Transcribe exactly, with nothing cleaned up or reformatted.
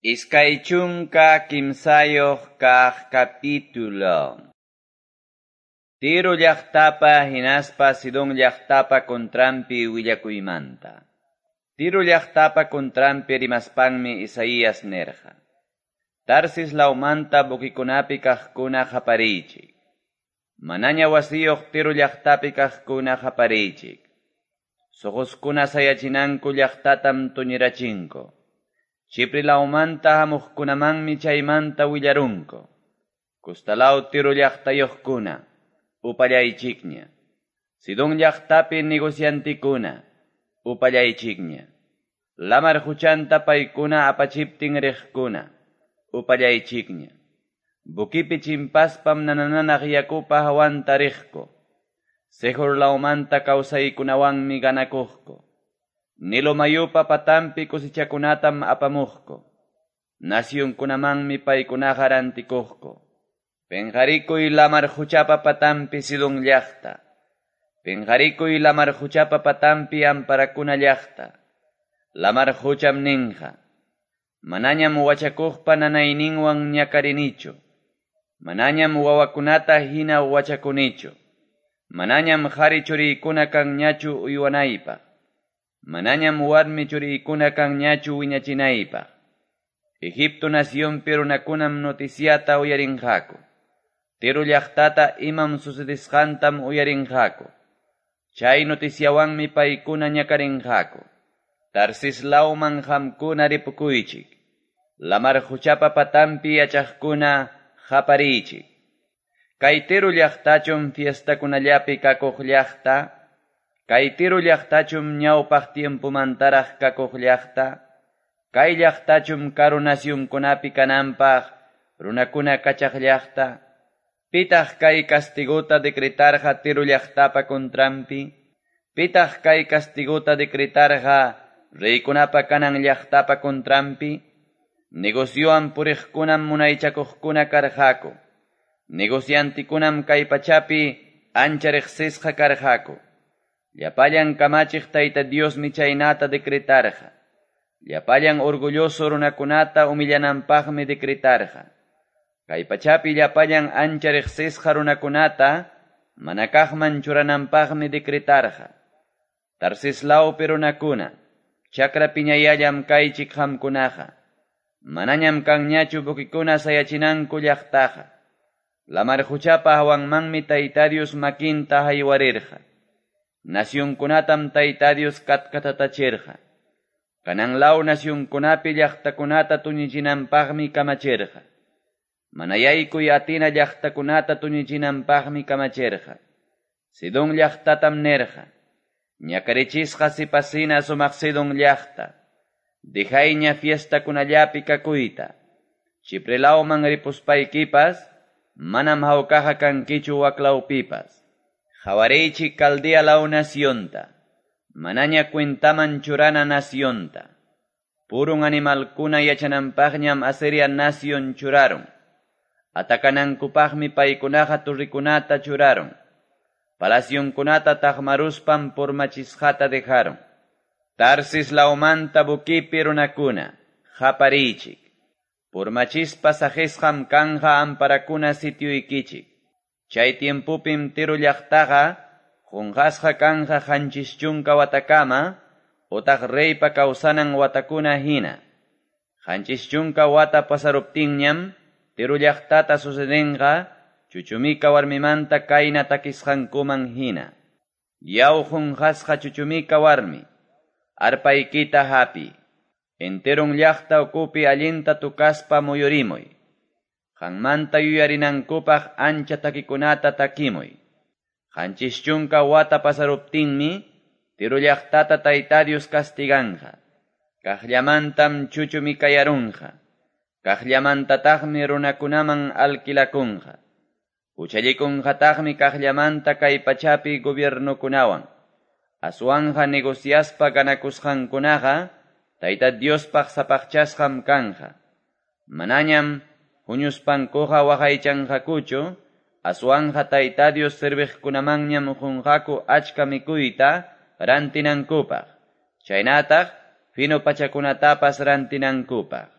Iskay chunka kimsayuq kaq capítulo. Tiro llaqtapa hinaspa Sidón llaqtapa contranpi willakuymanta. Tiro llaqtapa contranpi rimaspanmi Isaías nirqa: Tarsis lawmanta buquikunapi kaqkuna qapariychik. Manaña wasiyuq Tiro llaqtapi kaqkuna qapariychik. Suquskuna sayachinanku llaqtatam tuñirachinku. Chipre lawmanta hamuqkunamanmi chaymanta willarunku. Kustalaw Tiro llaqtayuqkuna, upallaychikña. Sidón llaqtapi negociantikuna, upallaychikña. Lamar huchanta paykuna apachiptin riqkuna, upallaychikña. Buquipi chimpaspam nanananaq yakupa hawanta riqku. Sejor lawmanta kawsaykunawanmi ganakuqku. Nilo mayupa patampi kusichakunatam apamuqku. Nasyunkunamanmi paykunaqa rantikuqku. Penqarikuy lamar huchapa patampi Sidón llaqta. Penqarikuy lamar huchapa patampi amparakuna llaqta. Lamar hucham ninqa. Manañam wachakuqpa nanayninwan ñakarinichu. Manañam wawakunata hina wachakunichu. Manañam qhari churiykuna kanñachu uywanaypaq. Manañam warmi churiykuna kanñachu wiñachinaypaq. Egipto nacionpi runakunam noticiata uyarinqaku. Tiro llaqtata imam sucedisqantam uyarinqaku. Chay noticiawanmi paykuna ñakarinqaku. Tarsis lawman qamkuna ripukuychik. Lamar huchapa patampi yachaqkuna qapariychik. Kay Tiro llaqtachum fiestakunallapi kakuq llaqta. Kay Tiro llaqtachum ñawpaq tiempomantaraq kakuq llaqta. Kay llaqtachum karu nasyunkunapi kananpaq runakuna kachaq llaqta. Pitaq kay castigota decretarqa Tiro llaqtapa contranpi. Pitaq kay castigota decretarqa reykunapa kanan llaqtapa contranpi. Negociowan puriqkunam munaychakuqkuna karqaku. Negociantikunam kay pachapi ancha riqsisqa karqaku. Llapallan kamachiq Tayta Diosmi chaynata decretarqa. Llapallan orgulloso runakunata humillananpaqmi decretarqa. Kay pachapi llapallan ancha riqsisqa runakunata manakaqman churananpaqmi decretarqa. Tarsis lawpi runakuna, chakra piñayallam kaychik qamkunaqa. Manañam kanñachu buquikuna sayachinanku llaqtaqa. Lamar huchapa hawanmanmi Tayta Dios makinta haywarirqa. Nasyunkunatam Tayta Dios katkatatachirqa. Kanan law nasyunkunapi llaqtakunata tuñichinanpaqmi kamachirqa. Manayaykuy atina llaqtakunata tuñichinanpaqmi kamachirqa. Sidón llaqtatam nirqa. Ñakarichisqa sipasina sumaq Sidón llaqta. Dejayña fiestakunallapi kakuyta. Chipre lawman ripuspaykipas, manam hawkaqa kankichu waklawpipas. Qawariychik Caldea law nacionta. Manaña cuentaman churana nacionta. Purun animalkuna yachananpaqñam Asiria nacion churarun. Atakanankupaqmi paykunaqa turrikunata churarun. Palacionkunata taqmaruspam purmachisqata dejaron. Tarsis lawmanta buquipi runakuna, qapariychik. Purmachispa saqisqam kanja amparakuna sitioykichik. Chay tiempopim Tiro llaqtaqa qunqasqa kanja qanchis chunka watakama, utaq reypa kawsanan watakuna hina. Qanchis chunka wata pasaruptinñam, Tiro llaqtata sucedenqa, chuchumika warmimanta kayna takisqankuman hina. Yaw qunqasqa chuchumika warmi, arpaykita hapi. Enteron llaqta ukupi allinta tukaspa muyurimuy. Qanmanta yuyarinankupaq ancha takikunata takimuy. Qanchis chunka wata pasaruptinmi, Tiro llaqtata Tayta Dios castiganqa. Kaqllamantam chuchumikayarunqa. Kaqllamantataqmi runakunaman alquilakunqa. Huchallikunqataqmi kaqllamanta kay pachapi gobiernokunawan. Aswanja negociaspa ganakusqankunaqa, Tayta Diospaq sapaqchasqam kanja. Manañam huñuspankuqa waqaychanqakuchu, aswanja Tayta Dios serviqkunamanñam qunqaku achka mikuyta rantinankupaq. Chaynataq fino pachakunatapas rantinankupaq.